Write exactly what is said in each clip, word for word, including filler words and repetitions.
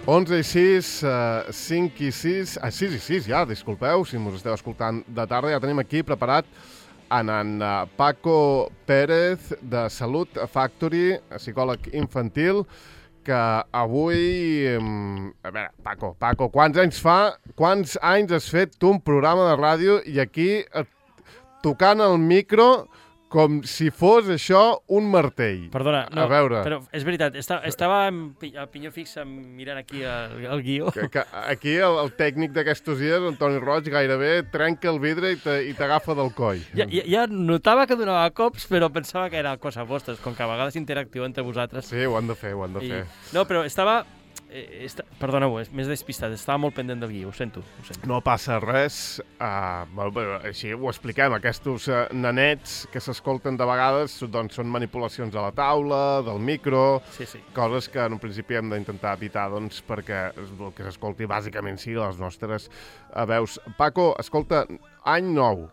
onze i sis, cinc i sis, ah, sis i sis ja, disculpeu, si mos esteu escoltant de tarda, ja tenim aquí preparat en en Paco Pérez de Salut Factory, psicòleg infantil, que avui... A veure, Paco, Paco, quants anys fa, quants anys has fet tu un programa de ràdio i aquí tocant el micro com si fos això un martell? Perdona, no, a veure. Però és veritat, estava, estava a pinyó fix mirant aquí el, el guió. Que, que aquí el, el tècnic d'aquestos dies, Antoni Roig, gairebé trenca el vidre i t'agafa del coll. Ja, ja, ja notava que donava cops, però pensava que era cosa vostra, com que a vegades interactiu entre vosaltres. Sí, ho han de fer, ho han de I... fer. No, però estava... Eh, esta... Perdoneu, m'he despistat, estava molt pendent del guió, ho sento. Ho sento. No passa res, uh, així ho expliquem, aquests uh, nanets que s'escolten de vegades doncs, són manipulacions a la taula, del micro, sí, sí. Coses que en un principi hem d'intentar evitar doncs, perquè el que s'escolti bàsicament sigui les nostres uh, veus. Paco, escolta, any nou.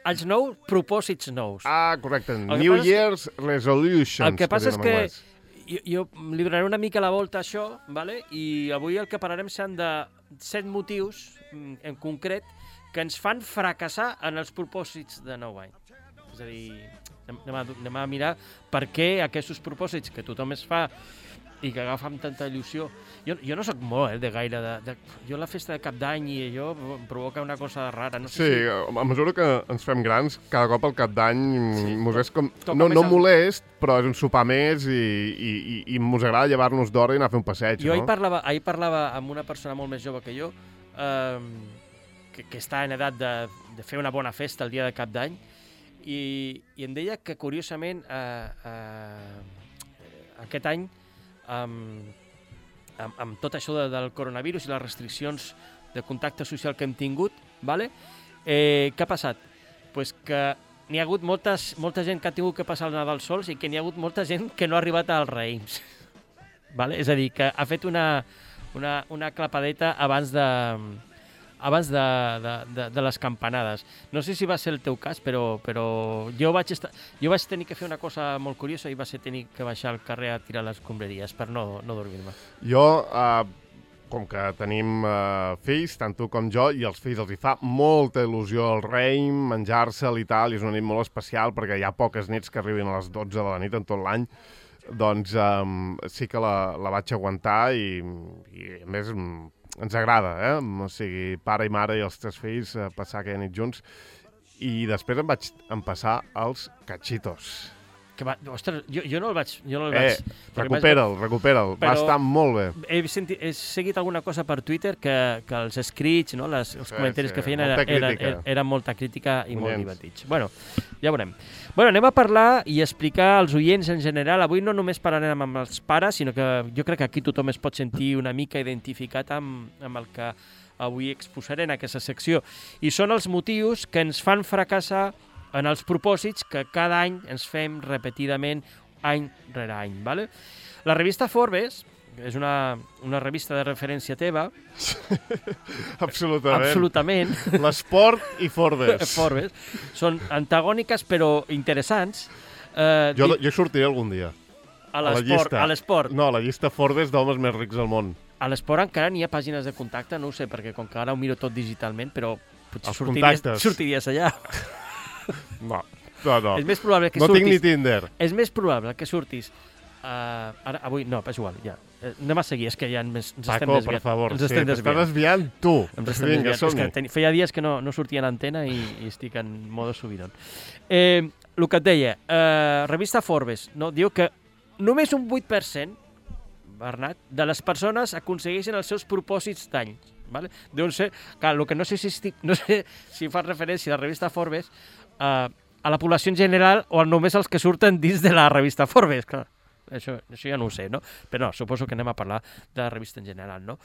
Anys nou, propòsits nous. Ah, correcte, New Year's que... Resolutions. El que passa és que Jo, jo li donaré una mica la volta a això, vale? I avui el que parlarem seran de set motius, en concret, que ens fan fracassar en els propòsits de nou any. És a dir, anem a, anem a mirar per què aquests propòsits que tothom es fa i que agafa amb tanta il·lusió. Jo, jo no soc molt eh, de gaire... De, de, jo la festa de cap d'any i allò em provoca una cosa rara. No sé sí, si... a mesura que ens fem grans, cada cop el cap d'any sí, mos és com... Toca no, no el... molest, però és un sopar més i, i, i, i mos agrada llevar-nos d'hora i anar a fer un passeig, jo no? ahir parlava, ahir parlava amb una persona molt més jove que jo, eh, que, que està en edat de, de fer una bona festa el dia de cap d'any, i, i em deia que, curiosament, eh, eh, aquest any, amb, amb, amb tot això de, del coronavirus i les restriccions de contacte social que hem tingut, vale? eh, què ha passat? Pues que n'hi ha hagut moltes, molta gent que ha tingut que passar el Nadal sols i que n'hi ha hagut molta gent que no ha arribat als raïms. Vale? És a dir, que ha fet una, una, una clapadeta abans de... abans de, de, de, de les campanades. No sé si va ser el teu cas, però, però jo, vaig estar, jo vaig tenir que fer una cosa molt curiosa i va ser tenir que baixar al carrer a tirar les escombraries per no, no dormir-me. Jo, uh, com que tenim uh, fills, tant tu com jo, i als fills els hi fa molta il·lusió el Reim, menjar-se'l i tal, i és una nit molt especial perquè hi ha poques nits que arribin a les dotze de la nit en tot l'any, doncs um, sí que la, la vaig aguantar i, i a més... ens agrada, eh? O sigui, pare i mare i els tres fills eh, passar aquella nit junts. I després em vaig empassar els cachitos. Que va, ostres, jo, jo no el vaig... Jo no el eh, vaig recupera'l, vaig... recupera'l. Va estar molt bé. He, sentit, he seguit alguna cosa per Twitter que, que els escrits, no, les, els sí, comentaris sí, que feien eren era, era, era molta crítica i Ullens. Molt divertits. Bueno, ja veurem. Bueno, anem a parlar i explicar als oients en general. Avui no només parlarem amb els pares, sinó que jo crec que aquí tothom es pot sentir una mica identificat amb, amb el que avui exposaré en aquesta secció. I són els motius que ens fan fracassar en els propòsits que cada any ens fem repetidament, any rere any. Vale? La revista Forbes és una, una revista de referència teva. Absolutament. Absolutament. L'esport i Forbes. Forbes. Són antagòniques però interessants. Eh, jo, jo sortiré algun dia. A l'esport. A l'esport. No, a la llista Forbes d'homes més rics del món. A l'esport encara n'hi ha pàgines de contacte, no ho sé, perquè com que ara ho miro tot digitalment, però potser Els sortiries, contactes. sortiries allà. No, no, no. És més probable que no surtis... tinc ni Tinder. És més probable que surtis... Uh, ara, avui, no, és igual, ja. Uh, anem a seguir, és que ja ens, ens Paco, estem desviant. per favor, ens sí, estem t'estàs desviant tu. Ens estem Vinga, desviant. És que ten... feia dies que no, no sortia en antena i, i estic en modo subidon. Eh, el que et deia, uh, revista Forbes, no, diu que només un vuit per cent, Bernat, de les persones aconsegueixen els seus propòsits d'any. Vale? Deuen ser, clar, el que no sé si, estic, no sé si fa referència a la revista Forbes uh, a la població en general o només els que surten dins de la revista Forbes, clar. Això, això ja no ho sé, no? Però no, suposo que anem a parlar de la revista en general, no?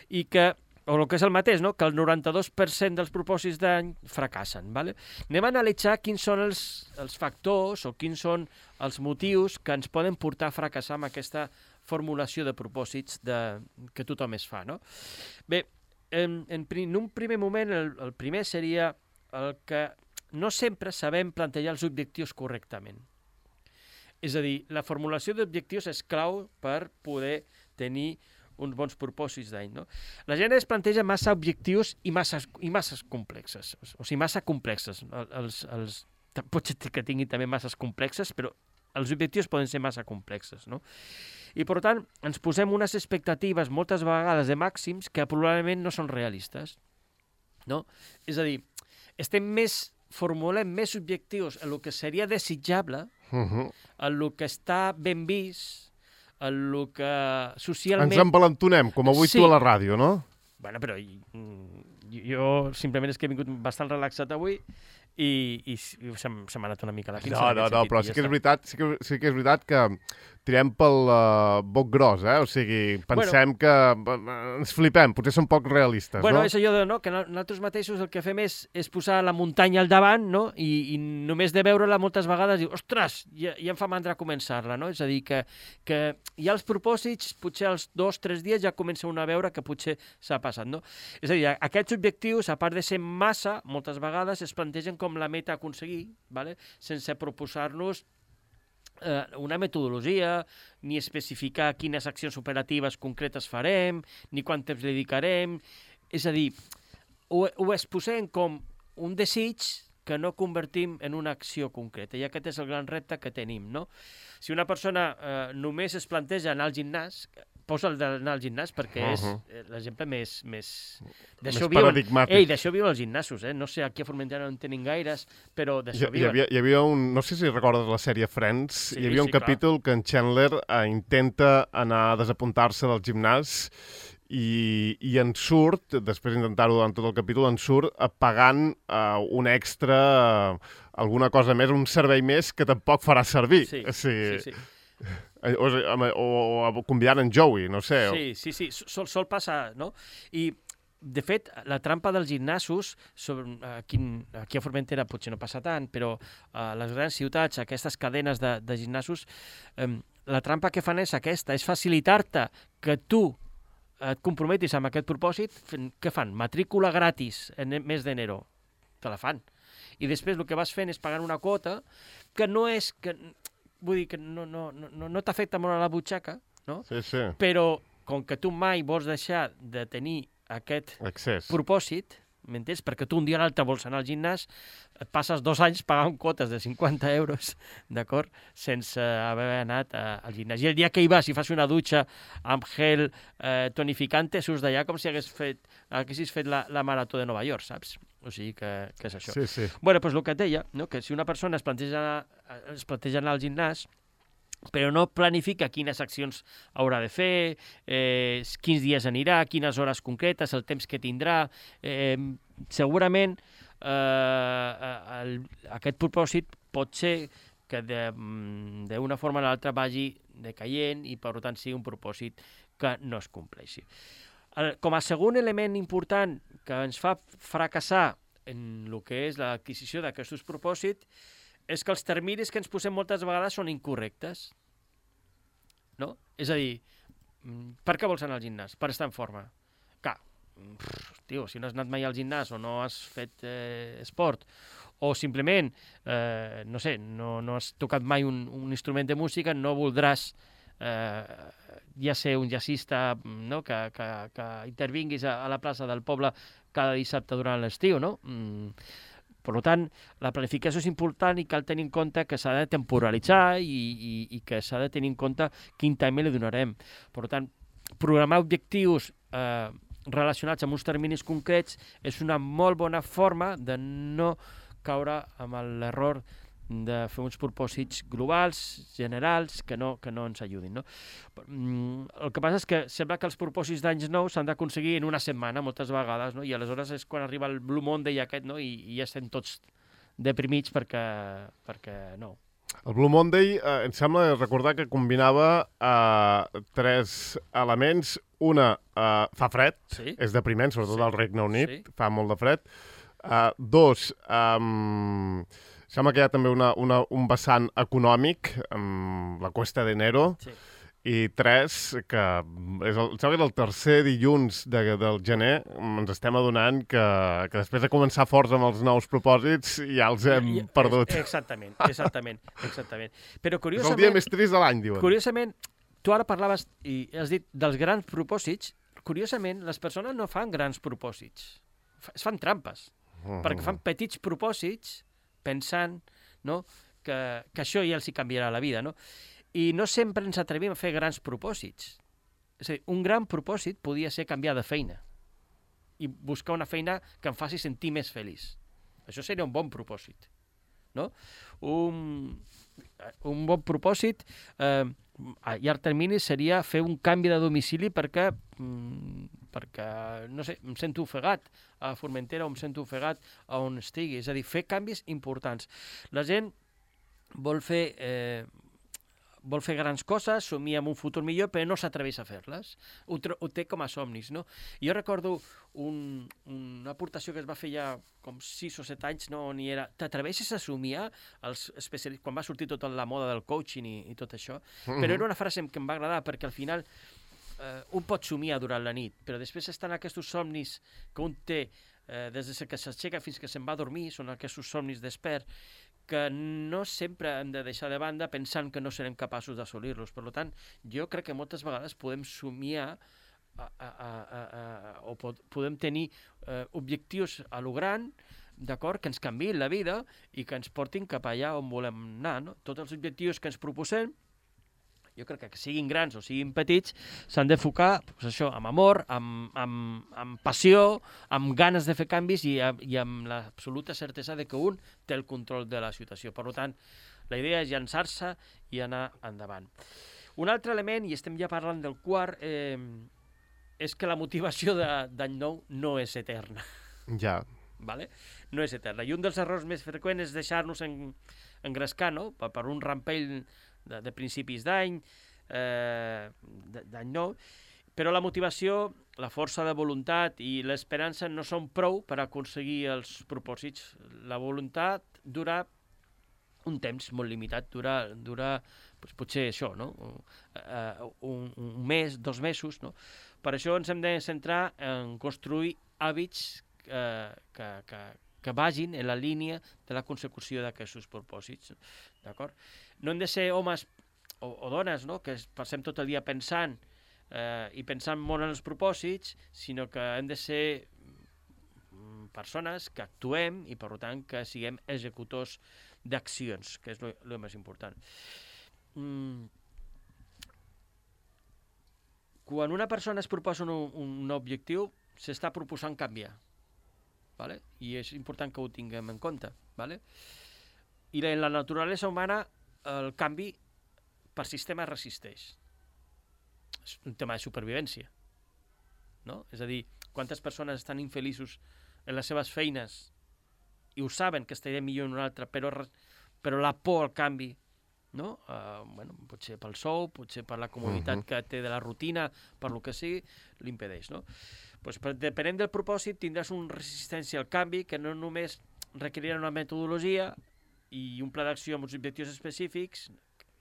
I que, o el que és el mateix, no? Que el noranta-dos per cent dels propòsits d'any fracassen, ¿vale? Anem a analitzar quins són els, els factors o quins són els motius que ens poden portar a fracassar amb aquesta formulació de propòsits de, que tothom es fa, no? Bé, en, en, en un primer moment, el, el primer seria el que no sempre sabem plantejar els objectius correctament. És a dir, la formulació d'objectius és clau per poder tenir uns bons propòsits d'any, no? La gent es planteja massa objectius i massa, i massa complexes, o sigui, massa complexes. Els, els, pot ser que tinguin també masses complexes, però els objectius poden ser massa complexes, no? I, per tant, ens posem unes expectatives moltes vegades de màxims que probablement no són realistes, no? És a dir, estem més, formulem més objectius en el que seria desitjable, uh-huh. en el que està ben vist, en el que socialment... Ens envalentonem, com avui sí. tu a la ràdio, no? Bueno, però jo simplement és que he vingut bastant relaxat avui i, i se m'ha anat una mica la pinça. No, no, no, però sí que, és veritat, sí, que, sí que és veritat que tirem pel uh, boc gros, eh? O sigui, pensem bueno, que uh, ens flipem, potser som poc realistes, bueno, no? Bueno, és allò de, no, que nosaltres mateixos el que fem és, és posar la muntanya al davant, no? I, i només de veure-la moltes vegades diu, ostres, ja, ja em fa mandra començar-la, no? És a dir, que, que ja els propòsits, potser als dos, tres dies ja comença una a veure que potser s'ha passat, no? És a dir, aquests objectius, a part de ser massa, moltes vegades es plantegen com la meta a aconseguir, ¿vale? Sense proposar-nos eh, una metodologia, ni especificar quines accions operatives concretes farem, ni quant temps dedicarem. És a dir, ho, ho exposem com un desig que no convertim en una acció concreta. I aquest és el gran repte que tenim, no? Si una persona eh, només es planteja anar al gimnàs, posa el d'anar al gimnàs perquè és uh-huh. l'exemple més... més... més paradigmàtic. Ei, d'això viuen els gimnasos, eh? No sé, aquí a Formentera no en tenen gaires, però d'això hi, viuen. Hi havia, hi havia un... No sé si recordes la sèrie Friends, sí, hi havia un sí, capítol clar. que en Chandler eh, intenta anar a desapuntar-se del gimnàs i, i en surt, després d'intentar-ho durant tot el capítol, en surt eh, pagant eh, un extra, eh, alguna cosa més, un servei més que tampoc farà servir. Sí, o sigui, sí, sí. O, o, o convidant en Joey, no sé. Sí, sí, sí, sol, sol passar, no? I, de fet, la trampa dels gimnasos, sobre, aquí, aquí a Formentera potser no passa tant, però a les grans ciutats, aquestes cadenes de, de gimnasos, eh, la trampa que fan és aquesta, és facilitar-te que tu et comprometis amb aquest propòsit. Què fan? Matrícula gratis en mes d'enero. Te la fan. I després el que vas fent és pagant una quota que no és... que vull dir que no, no, no, no t'afecta molt a la butxaca, no? Sí, sí. Però com que tu mai vols deixar de tenir aquest accés. propòsit, m'entens? Perquè tu un dia o l'altre vols anar al gimnàs, et passes dos anys pagant quotes de cinquanta euros, d'acord? Sense haver anat a, al gimnàs. I el dia que hi vas i fas una dutxa amb gel eh, tonificante, surts d'allà com si hagués fet, haguessis fet la, la marató de Nova York, saps? O sigui que, que és això. Sí, sí. Bueno, doncs el que et deia, no? Que si una persona es planteja, es planteja anar al gimnàs, però no planifica quines accions haurà de fer, eh, quins dies anirà, quines hores concretes, el temps que tindrà, eh, segurament eh, el, aquest propòsit pot ser que d'una forma o l'altra vagi decaient i per tant sigui un propòsit que no es compleixi. El, com a segon element important que ens fa fracassar en el que és l'adquisició d'aquests propòsits és que els terminis que ens posem moltes vegades són incorrectes. No? És a dir, per què vols anar al gimnàs? Per estar en forma. Clar, tio, si no has anat mai al gimnàs o no has fet eh, esport o simplement, eh, no sé, no, no has tocat mai un, un instrument de música, no voldràs eh, ja ser un jazzista, no? que, que, que intervinguis a, a la plaça del poble cada dissabte durant l'estiu, no? Mm. Per tant, la planificació és important i cal tenir en compte que s'ha de temporalitzar i, i, i que s'ha de tenir en compte quin time li donarem. Per tant, programar objectius eh, relacionats amb uns terminis concrets és una molt bona forma de no caure amb l'error de fer uns propòsits globals, generals, que no, que no ens ajudin. No? El que passa és que sembla que els propòsits d'anys nous s'han d'aconseguir en una setmana, moltes vegades, no? I aleshores és quan arriba el Blue Monday aquest, no? I, i ja estem tots deprimits perquè, perquè no. El Blue Monday eh, em sembla recordar que combinava eh, tres elements. Una, eh, fa fred, sí. És depriment, sobretot sí. al Regne Unit, sí. Fa molt de fred. Uh, dos, um, sembla que hi ha també una, una, un vessant econòmic, um, la Cuesta de Enero, sí. I tres, que és el, sembla que és el tercer dilluns de, del gener, ens estem adonant que, que després de començar forts amb els nous propòsits ja els hem I, perdut. Exactament, exactament, exactament. Però curiosament... És el dia més trist de l'any, diuen. Curiosament, tu ara parlaves i has dit dels grans propòsits. Curiosament, les persones no fan grans propòsits. Es fan trampes. Uh-huh. Perquè fan petits propòsits pensant, no?, que, que això ja els hi canviarà la vida, no? I no sempre ens atrevim a fer grans propòsits. És a dir, un gran propòsit podia ser canviar de feina i buscar una feina que em faci sentir més feliç. Això seria un bon propòsit, no? Un, un bon propòsit eh, a llarg termini seria fer un canvi de domicili perquè, mm, perquè, no sé, em sento ofegat a Formentera o em sento ofegat a on estigui. És a dir, fer canvis importants. La gent vol fer... Eh, vol fer grans coses, somia amb un futur millor, però no s'atreveix a fer-les. Ho, ho té com a somnis, no? Jo recordo un, una aportació que es va fer ja com sis o set anys, no, on hi era, t'atreveixes a somiar els especialistes, quan va sortir tota la moda del coaching i, i tot això, mm-hmm. però era una frase que em va agradar, perquè al final eh, un pot somiar durant la nit, però després estan aquests somnis que un té eh, des de que s'aixeca fins que se'n va a dormir, són aquests somnis despert, que no sempre hem de deixar de banda pensant que no serem capaços d'assolir-los. Per tant, jo crec que moltes vegades podem somiar a, a, a, a, a, o pod, podem tenir eh, objectius a lo gran, d'acord, que ens canviïn la vida i que ens portin cap allà on volem anar, no? Tots els objectius que ens proposem, jo crec que siguin grans o siguin petits, s'han d'enfocar, doncs això, amb amor, amb, amb, amb passió, amb ganes de fer canvis i, i amb l'absoluta certesa de que un té el control de la situació. Per tant, la idea és llançar-se i anar endavant. Un altre element, i estem ja parlant del quart, eh, és que la motivació d'any nou no és eterna. Ja. Vale? No és eterna. I un dels errors més freqüents és deixar-nos en, engrescar, no?, per, per un rampell de, de principis d'any, eh, d'any nou, però la motivació, la força de voluntat i l'esperança no són prou per aconseguir els propòsits. La voluntat dura un temps molt limitat, dura, dura doncs, potser això, no? un, un mes, dos mesos, no? Per això ens hem de centrar en construir hàbits eh, que, que, que vagin en la línia de la consecució d'aquests propòsits, d'acord? No hem de ser homes o, o dones, no?, que passem tot el dia pensant eh, i pensant molt en els propòsits, sinó que hem de ser persones que actuem i, per tant, que siguem executors d'accions, que és el més important. Mm. Quan una persona es proposa un, un objectiu, s'està proposant canviar. Vale? I és important que ho tinguem en compte. Vale? I en la naturalesa humana el canvi per sistema resisteix. És un tema de supervivència. No? És a dir, quantes persones estan infeliços en les seves feines i ho saben que estaria millor en una altra, però, però la por al canvi, no? Uh, bueno, potser pel sou, potser per la comoditat uh-huh. que té de la rutina, per lo que sigui, l'impedeix, no? Pues, depenent del propòsit tindràs una resistència al canvi que no només requerirà una metodologia i un pla d'acció amb uns objectius específics,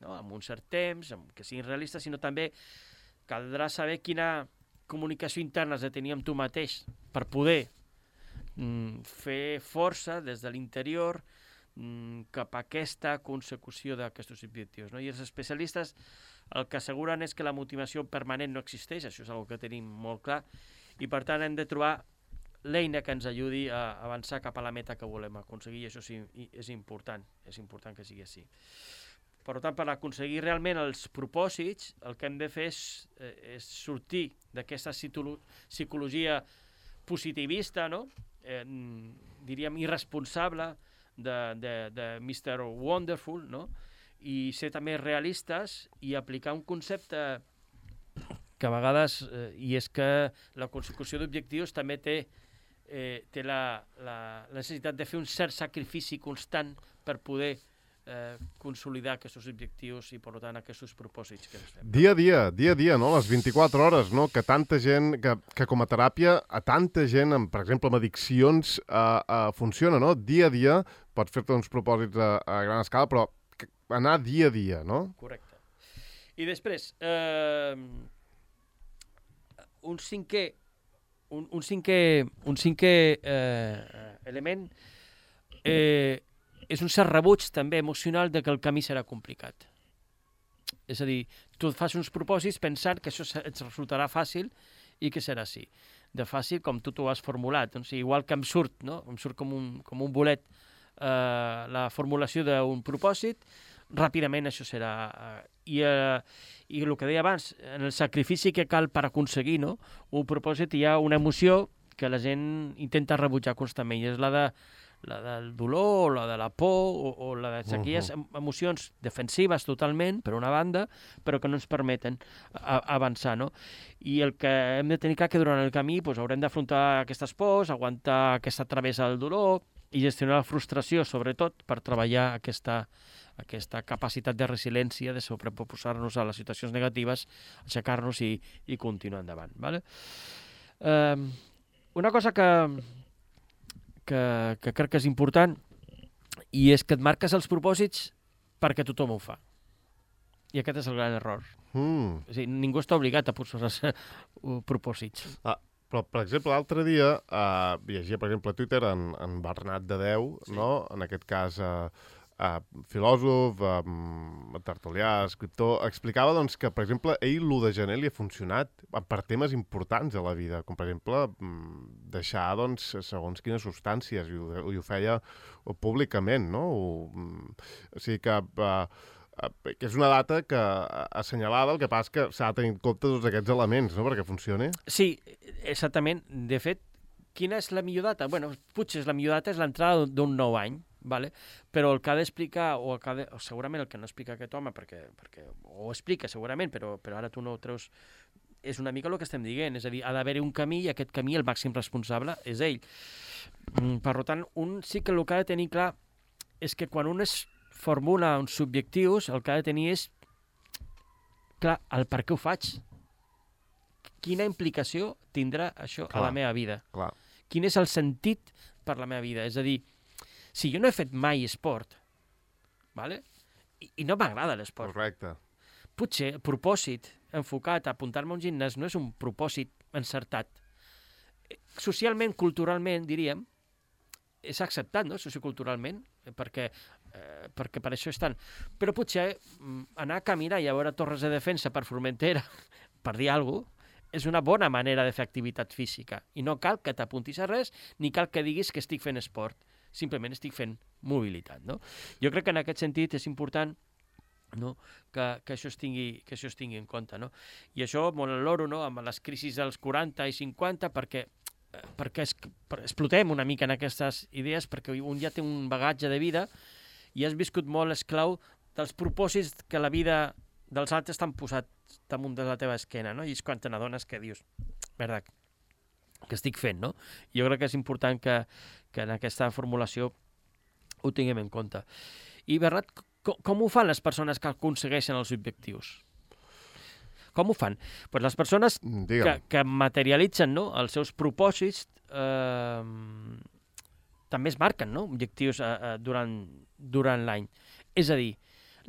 no? Amb un cert temps, amb que siguin realistes, sinó també caldrà saber quina comunicació interna has de tenir amb tu mateix per poder mm, fer força des de l'interior mm, cap a aquesta consecució d'aquests objectius, no? I els especialistes el que asseguren és que la motivació permanent no existeix, això és una que tenim molt clar, i per tant hem de trobar l'eina que ens ajudi a avançar cap a la meta que volem aconseguir, i això sí, és important, és important que sigui així. Per tant, per aconseguir realment els propòsits, el que hem de fer és, és sortir d'aquesta psicologia positivista, no? eh, diríem irresponsable de, de, de mister Wonderful, no? I ser també realistes i aplicar un concepte que a vegades, eh, i és que la consecució d'objectius també té, eh, té la, la necessitat de fer un cert sacrifici constant per poder eh, consolidar aquests objectius i, per tant, aquests propòsits que ens fem. Dia a dia, dia a dia, no? Les vint-i-quatre hores, no? Que tanta gent, que, que com a teràpia, a tanta gent, amb, per exemple, amb addiccions, eh, eh, funciona, no? Dia a dia, pots fer-te uns propòsits a, a gran escala, però anar dia a dia, no? Correcte. I després, eh, un cinquè, un, un cinquè, un cinquè eh, element eh, és un cert rebuig també emocional de que el camí serà complicat. És a dir, tu fas uns propòsits pensant que això et resultarà fàcil i que serà així. De fàcil com tu t'ho has formulat. Doncs, igual que em surt, no? Em surt com un, com un bolet eh, la formulació d'un propòsit, ràpidament això serà... Eh, i, eh, I el que deia abans, en el sacrifici que cal per aconseguir, no? Un propòsit, hi ha una emoció que la gent intenta rebutjar constantment, i és la de la del dolor, o la de la por, o, o la d'aquelles uh-huh. emocions defensives totalment, per una banda, però que no ens permeten a, a avançar, no? I el que hem de tenir clar que durant el camí doncs, haurem d'afrontar aquestes pors, aguantar aquesta travessa del dolor i gestionar la frustració, sobretot, per treballar aquesta, aquesta capacitat de resiliència, de sobreposar-nos a les situacions negatives, aixecar-nos i, i continuar endavant. Vale? Eh, una cosa que... Que, que crec que és important, i és que et marques els propòsits perquè tothom ho fa. I aquest és el gran error. Mm. És a dir, ningú està obligat a posar-se propòsits. Ah, però, per exemple, l'altre dia uh, llegia, per exemple, a Twitter en, en Bernat de Déu, sí. no? En aquest cas, uh, uh, filòsof, uh, tertulià, escriptor, explicava doncs, que, per exemple, ell l'u de gener li ha funcionat per temes importants a la vida, com, per exemple, deixar, doncs, segons quines substàncies, i ho, i ho feia públicament, no? O, o sigui que... Uh, que és una data que assenyalada, el que passa que s'ha de tenir en compte tots aquests elements, no?, perquè funcioni. Sí, exactament. De fet, quina és la millor data? Bueno, potser la millor data és l'entrada d'un nou any, vale? Però el que ha d'explicar, o, el que ha de, o segurament el que no explica aquest home, perquè, perquè o ho explica segurament, però, però ara tu no ho treus, és una mica el que estem dient, és a dir, ha d'haver-hi un camí i aquest camí el màxim responsable és ell. Per tant, un sí que el que ha de tenir clar és que quan un es formula uns objectius, el que ha de tenir és, clar, el per què ho faig. Quina implicació tindrà això clar, a la meva vida? Clar. Quin és el sentit per la meva vida? És a dir, si jo no he fet mai esport, vale? I, i no m'agrada l'esport. Correcte. Potser el propòsit enfocat a apuntar-me a un gimnàs no és un propòsit encertat. Socialment, culturalment, diríem, és acceptat, no?, socioculturalment, perquè, eh, perquè per això estan. Però potser anar a caminar i a veure torres de defensa per Formentera, per dir alguna cosa, és una bona manera de fer activitat física. I no cal que t'apuntis a res, ni cal que diguis que estic fent esport. Simplement estic fent mobilitat, no? Jo crec que en aquest sentit és important, no?, que, que, això es tingui, que això es tingui en compte, no? I això molt en l'oro, no?, amb les crisis dels quaranta i cinquanta, perquè perquè es, per, explotem una mica en aquestes idees, perquè un ja té un bagatge de vida i has viscut molt esclau dels propòsits que la vida dels altres t'han posat damunt de la teva esquena, no? I és quan te n'adones que dius, merda, que estic fent, no? Jo crec que és important que, que en aquesta formulació ho tinguem en compte. I Bernat, com, com ho fan les persones que aconsegueixen els objectius? Com ho fan? Pues les persones que, que materialitzen, no?, els seus propòsits eh, també es marquen, no?, objectius eh, durant, durant l'any. És a dir,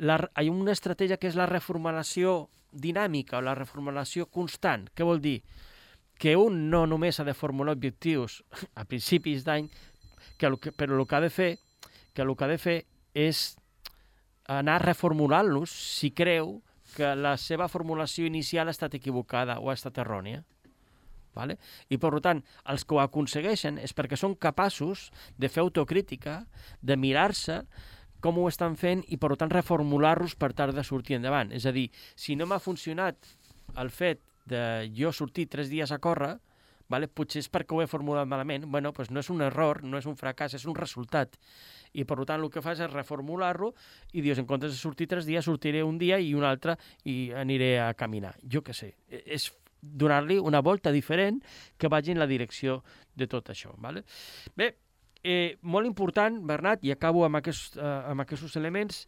la, hi ha una estratègia que és la reformulació dinàmica o la reformulació constant. Què vol dir? Que un no només ha de formular objectius a principis d'any, que, però el que ha de fer, que el que ha de fer és anar reformulant-los si creu que la seva formulació inicial ha estat equivocada o ha estat errònia. Vale? I, per tant, els que ho aconsegueixen és perquè són capaços de fer autocrítica, de mirar-se com ho estan fent i, per tant, reformular-los per tal de sortir endavant. És a dir, si no m'ha funcionat el fet de jo sortir tres dies a córrer, vale? Potser és perquè ho he formulat malament. Bueno, doncs no és un error, no és un fracàs, és un resultat. I, per tant, el que fas és reformular-lo i dius, en comptes de sortir tres dies, sortiré un dia i un altre i aniré a caminar. Jo què sé. És donar-li una volta diferent que vagi en la direcció de tot això. Vale? Bé, eh, molt important, Bernat, i acabo amb, aquest, eh, amb aquests elements,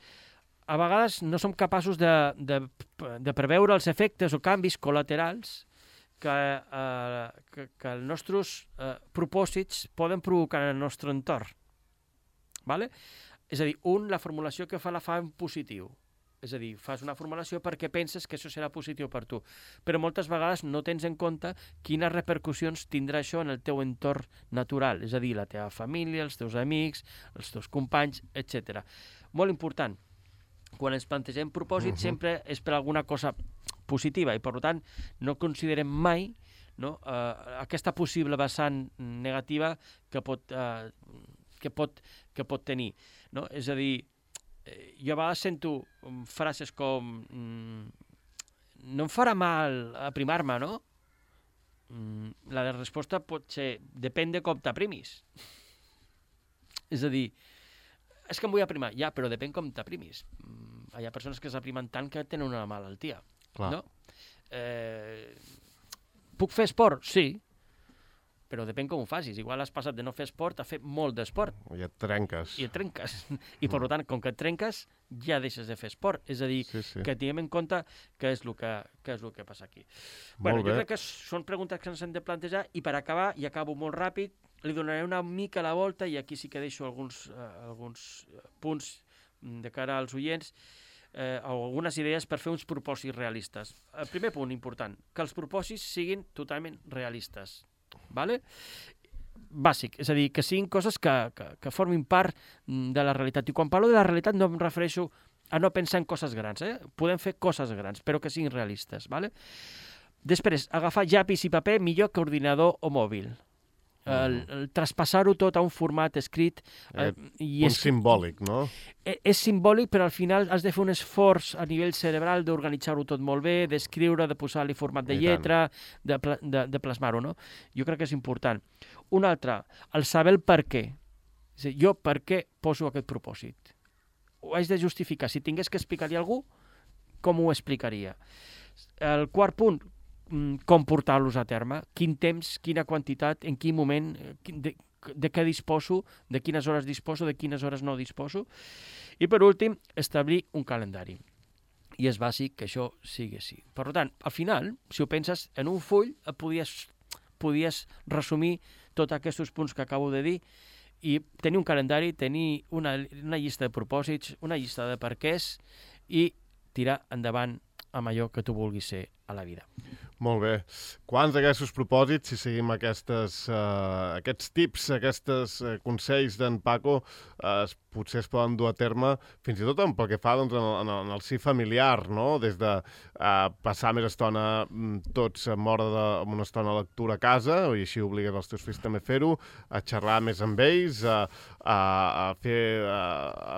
a vegades no som capaços de, de, de preveure els efectes o canvis col·laterals que, eh, que, que els nostres eh, propòsits poden provocar en el nostre entorn. Vale? És a dir, un, la formulació que fa la fa en positiu. És a dir, fas una formulació perquè penses que això serà positiu per tu. Però moltes vegades no tens en compte quines repercussions tindrà això en el teu entorn natural. És a dir, la teva família, els teus amics, els teus companys, etcètera. Molt important. quan ens plantegem propòsits, uh-huh. sempre és per alguna cosa positiva i, per tant, no considerem mai, no, uh, aquesta possible vessant negativa que pot, uh, que pot, que pot tenir. No? És a dir, jo a vegades sento frases com mm, no em farà mal aprimar-me, no? Mm, la resposta pot ser depèn de com t'aprimis. És a dir, és que em vull aprimar, ja, però depèn com t'aprimis. Mm, hi ha persones que s'aprimen tant que tenen una malaltia. Clar. No? Eh, puc fer esport? Sí, però depèn com ho facis. Igual has passat de no fer esport a fer molt d'esport. I et trenques. I et trenques. I, per tant, com que et trenques, ja deixes de fer esport. És a dir, sí, sí. que tinguem en compte què és el que, què és el que passa aquí. Molt bueno, bé. jo crec que són preguntes que ens hem de plantejar i per acabar, i acabo molt ràpid, li donaré una mica la volta i aquí sí que deixo alguns, eh, alguns punts de cara als oients, eh, algunes idees per fer uns propòsits realistes. El primer punt important, que els propòsits siguin totalment realistes. Vale? Bàsic, és a dir, que siguin coses que, que, que formin part de la realitat. I quan parlo de la realitat no em refereixo a no pensar en coses grans, eh? Podem fer coses grans, però que siguin realistes. Vale? Després, agafar llapis i paper millor que ordinador o mòbil. El, el traspassar-ho tot a un format escrit. Eh, i és, un simbòlic, no? És, és simbòlic, però al final has de fer un esforç a nivell cerebral d'organitzar-ho tot molt bé, d'escriure, de posar-li format de lletra, de, de, de plasmar-ho, no? Jo crec que és important. Un altre, el saber el per què. És a dir, jo per què poso aquest propòsit? Ho haig de justificar. Si tingués que explicar-li a algú, com ho explicaria? El quart punt, com portar-los a terme, quin temps, quina quantitat, en quin moment, de, de què disposo, de quines hores disposo, de quines hores no disposo. I per últim, establir un calendari. I és bàsic que això sigui així. Per tant, al final, si ho penses, en un full podies, podies resumir tots aquests punts que acabo de dir i tenir un calendari, tenir una, una llista de propòsits, una llista de perquès i tirar endavant amb allò que tu vulguis ser a la vida. Molt bé. Quants d'aquests propòsits, si seguim aquestes, uh, aquests tips, aquests uh, consells d'en Paco, uh, potser es poden dur a terme, fins i tot pel que fa doncs, en, el, en el si familiar, no? Des de uh, passar més estona tots amb hora de, amb una estona de lectura a casa, i així obligues els teus fills també a fer-ho, a xerrar més amb ells, a, a, a fer, a,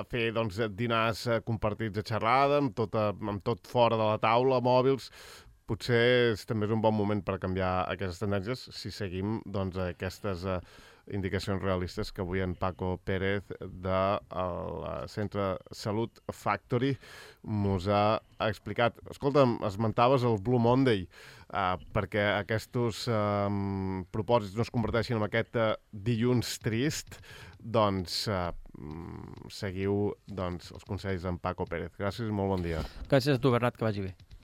a fer doncs, dinars compartits a xerrada, amb tot, a, amb tot fora de la taula, mòbils. Potser és, també és un bon moment per canviar aquestes tendències si seguim doncs, aquestes uh, indicacions realistes que avui en Paco Pérez del Centre Salut Factory mos ha explicat. Escolta'm, esmentaves el Blue Monday uh, perquè aquests uh, propòsits no es converteixin en aquest uh, dilluns trist, doncs uh, seguiu doncs, els consells d'en Paco Pérez. Gràcies i molt bon dia. Gràcies a tu, Bernat, que vagi bé.